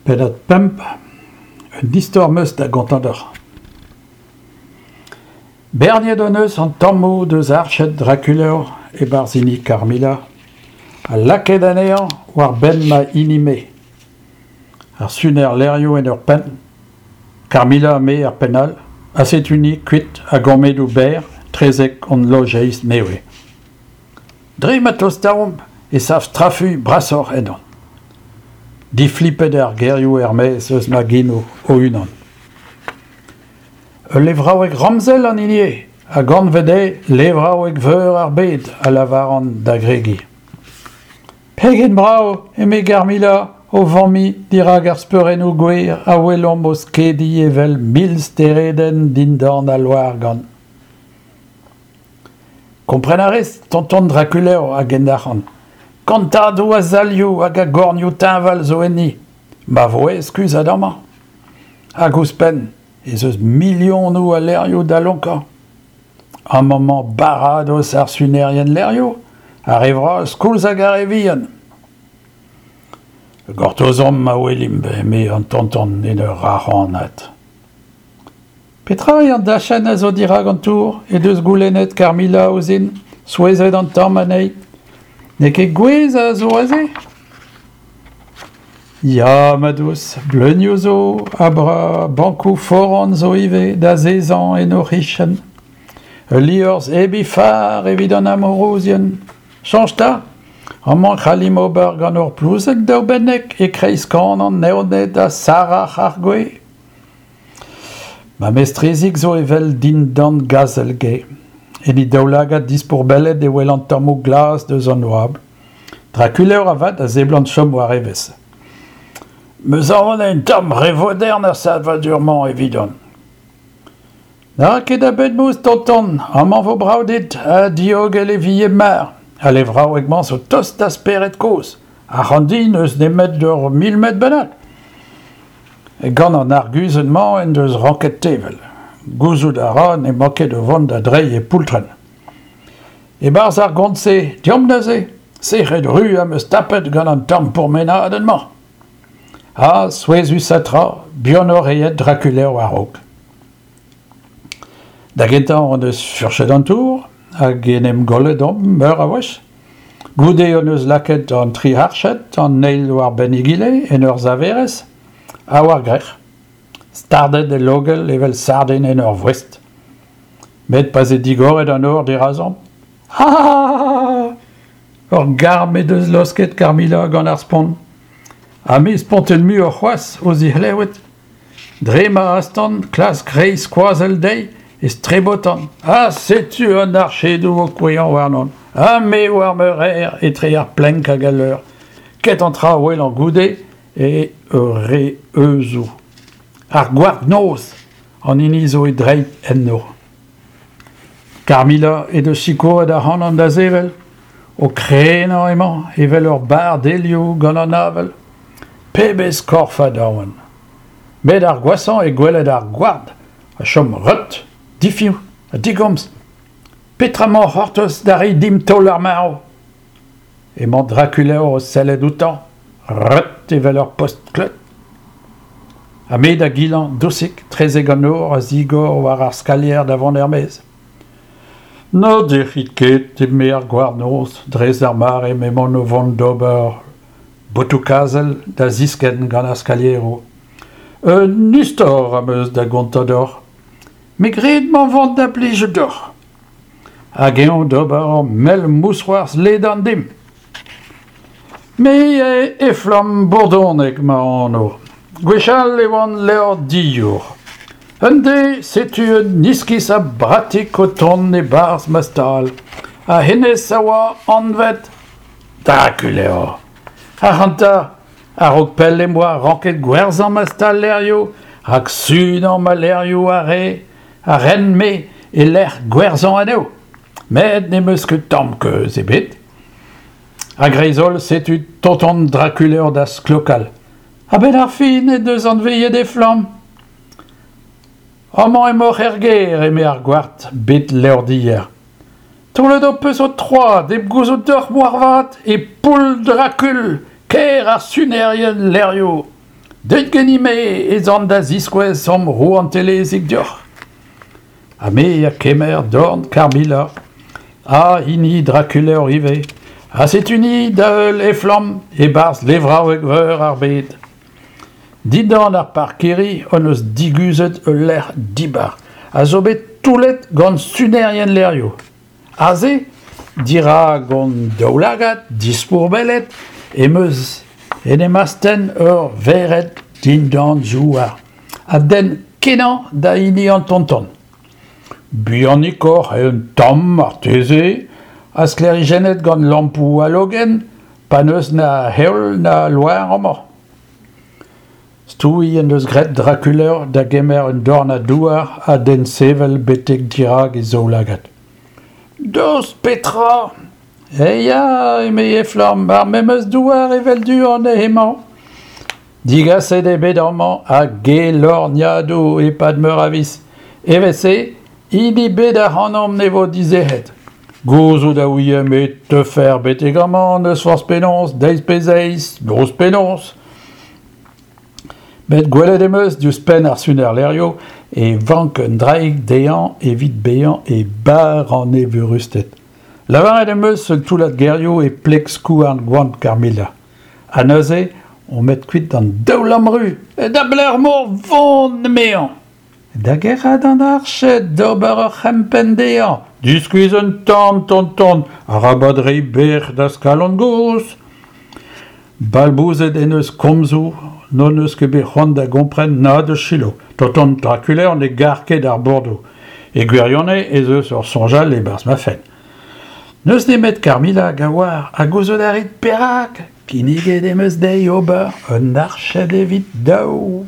Pennad pemp, un istor 'm eus da gontañ deoc'h. Berniet hon eus an tammoù deus arched Drakulor e-barzh hini Carmilla ha lakaet anezhañ war benn ma hini-me. Ar suner levrioù en ur penn, Carmilla ha me er penn all, ha setu-ni kuit a gammedoù berr 'trezek hon lojeiz nevez. Dre ma tostaomp e sav strafuilh brasoc'h ennon. Diflipet eo ar gerioù er-maez eus ma genoù o-unan. Ul levraoueg ramzel an hini eo, hag anvet eo Levraoueg Veur ar Bed, a lavaran da gregiñ. Pegen brav, eme Garmilla o vammiñ dirak ar speurennoù gwer a welomp o skediñ evel milsteredenn dindan al loargann. Kompren a rez, tonton Drakulor, a gendalc'han. Kantadoù a salioù hag a gornioù teñval zo enni. Ma vo aes kuzhat amañ. Hag ouzhpenn ez eus milionoù a levrioù da lonkañ. Amañ 'mañ baradoz ar sunerien levrioù, ar re vras koulz hag ar re vihan. Gortozomp ma welimp, eme an tonton en ur rac'hanat. Petra eo an dachenn a zo dirak an tour he deus goulennet Carmilla ouzhin, souezhet an tamm anezhi. N'eo ket gwez a zo aze ? Ya, ma dous, bleunioù zo ha bankoù foran zo ivez d'azezañ en o c'hichen. Ul liorzh hep he far evit an amourouzien. Soñj 'ta, amañ e c'hallimp ober gant hor plouzeg daoubennek e-kreiz kan an evned ha sarac'h ar gwez. Ma mestrezig zo evel dindan gazel-gae. En he daoulagad dispourbellet e welan tammoù glas deus an oabl. Drakuleur avat a seblant chom war evezh. 'M eus aon eo un tamm re vodern ar savadur-mañ evidon. Na ra ket a bed-mouz, tonton, amañ 'vo brav dit ha diogel e vi e-mar. Al levraoueg-mañ zo tost da spered kozh. Ac'hann di n'eus nemet ur mil metr bennak. Gant an arguzenn-mañ en deus ranket tevel. Gouzout a ra n'emañ ket o vont da dreiñ e poultrenn. E-barzh ar gont-se, deomp neuze, sec'hed ru am eus tapet gant an tamm pourmenadenn-mañ. Ha, souezhusañ tra, buanoc'h eo aet Drakuleur war-raok. Da gentañ hon eus furchet an tour hag en em gollet omp meur a wech. Goude hon eus lakaet an tri arched an eil war-benn egile en ur saverez ha war-grec'h, stardet el logell evel sardin en ur voest. Met pa 'z eo digoret an nor dirazomp, ah! Ur garm he deus laosket Carmilla gant ar spont. Ha me spontet muioc'h c'hoazh ouzh he c'hlevet. Dre ma astan klask reiñ skoazell dezhi e strebotan ha setu an archedoù o kouezhañ warnon ha me war ma reer etre ar plenk hag al leur. Kentañ tra a welan goude eo ur re heuzoù. Ar gward-noz an hini zo e dreid enno. Carmilla he deus sikouret ac'hanon da sevel. O krenañ emañ evel ur barr delioù gant an avel. Pebezh korfad a oan ! Met ar gwashañ eo gwelet ar gward a chom reut, difiñv ha digomz. Petra 'mañ o c'hortoz da reiñ dimp taol ar marv ? Emañ Drakuleur o sellet outañ, reut evel ur post-kleud. Ha me da gilañ dousik 'trezek an nor a zigor war ar skalier da vont er-maez. Na dec'hit ket, eme ar gward-noz, dres d'ar mare m'emaon o vont d'ober botoù-kazel da ziskenn gant ar skalieroù. Un istor am eus da gontañ deoc'h. Me 'gred 'mañ 'vont da blijout deoc'h. Hag eñ d'ober ur mell mousc'hoarzh ledan dimp. Me eo Eflamm Bourdonneg ma anv. Gwechall e oan levrdiour. Un deiz setu un iskis a bratik o tont e-barzh ma stal. Ha hennezh a oa anvet Drakuleur. Ac'hanta, a-raok pell em boa ranket gwerzhañ ma stal levrioù, rak sunañ ma levrioù a rae a ren-me e-lec'h gwerzhañ anezho. Met n'em eus ket tamm keuz ebet. A-greiz-holl setu tonton Drakuleur da sklokal. A-benn ar fin en deus anveet Eflamm. Amañ emaoc'h er gêr, eme ar gward bet levrdier. Taolet ho peus ho troad hep gouzout deoc'h moarvat e poull Drakul, kêr ar sunerien levrioù. Deuit ganin-me ez an da ziskouez hom rouantelezhig deoc'h. Ha me ha kemer dorn Carmilla, ha hini Drakuleur ivez, ha setu-ni da heul Eflamm e-barzh levraoueg-veur ar bed. Dindan ar parkirri hon eus diguzhet ul lec'h dibar a zo bet toullet gant sunerien levrioù. Aze, dirak hon daoulagad dispourbellet, em eus en em astenn ur vered dindan zouar a denn kenañ da hini an tonton. Bihanikoc'h eo un tamm marteze, ha sklêrijennet gant lampoù halogen pa n'eus na heol na loar amañ. Stouiñ en deus graet Drakuleur da gemer un dornad douar ha d'hen sevel betek dirak e zaoulagad. Daoust petra ? Eh ya, eme Eflamm, ar memes douar evel du-hont eo hemañ. Digaset eo bet amañ a-gelorniadoù e-pad meur a viz. Evel-se, hini bet ac'hanomp ne vo dizec'het. Gouzout a ouiemp e teufec'h betek amañ n'eus forzh penaos, deiz pe zeiz, noz pe noz. Met gwelet em eus diouzh penn ar suner-levrioù e vank un draig dezhañ evit bezañ e barr an evurusted. Lavaret em eus un toullad gerioù e pleg skouarn goant Carmilla. Ha neuze omp aet kuit d'an daoulamm-ru, da belec'h emañ o vont emezañ. Da gerc'hat an arched d'ober ur c'hempenn dezhañ. Diskuizh un tamm, tonton, arabat reiñ bec'h da'z kalon gozh. Balbouzet en deus komzoù n'hon eus ket bet c'hoant da gompren na da selaou. Tonton Draculaire ne gar ket ar bordoù. E gwirionez ez eus ur soñj all e-barzh ma fenn. N'eus nemet Carmilla hag a oar ha gouzout a rit perak. Kinniget em eus dezhi ober un arched evit daou.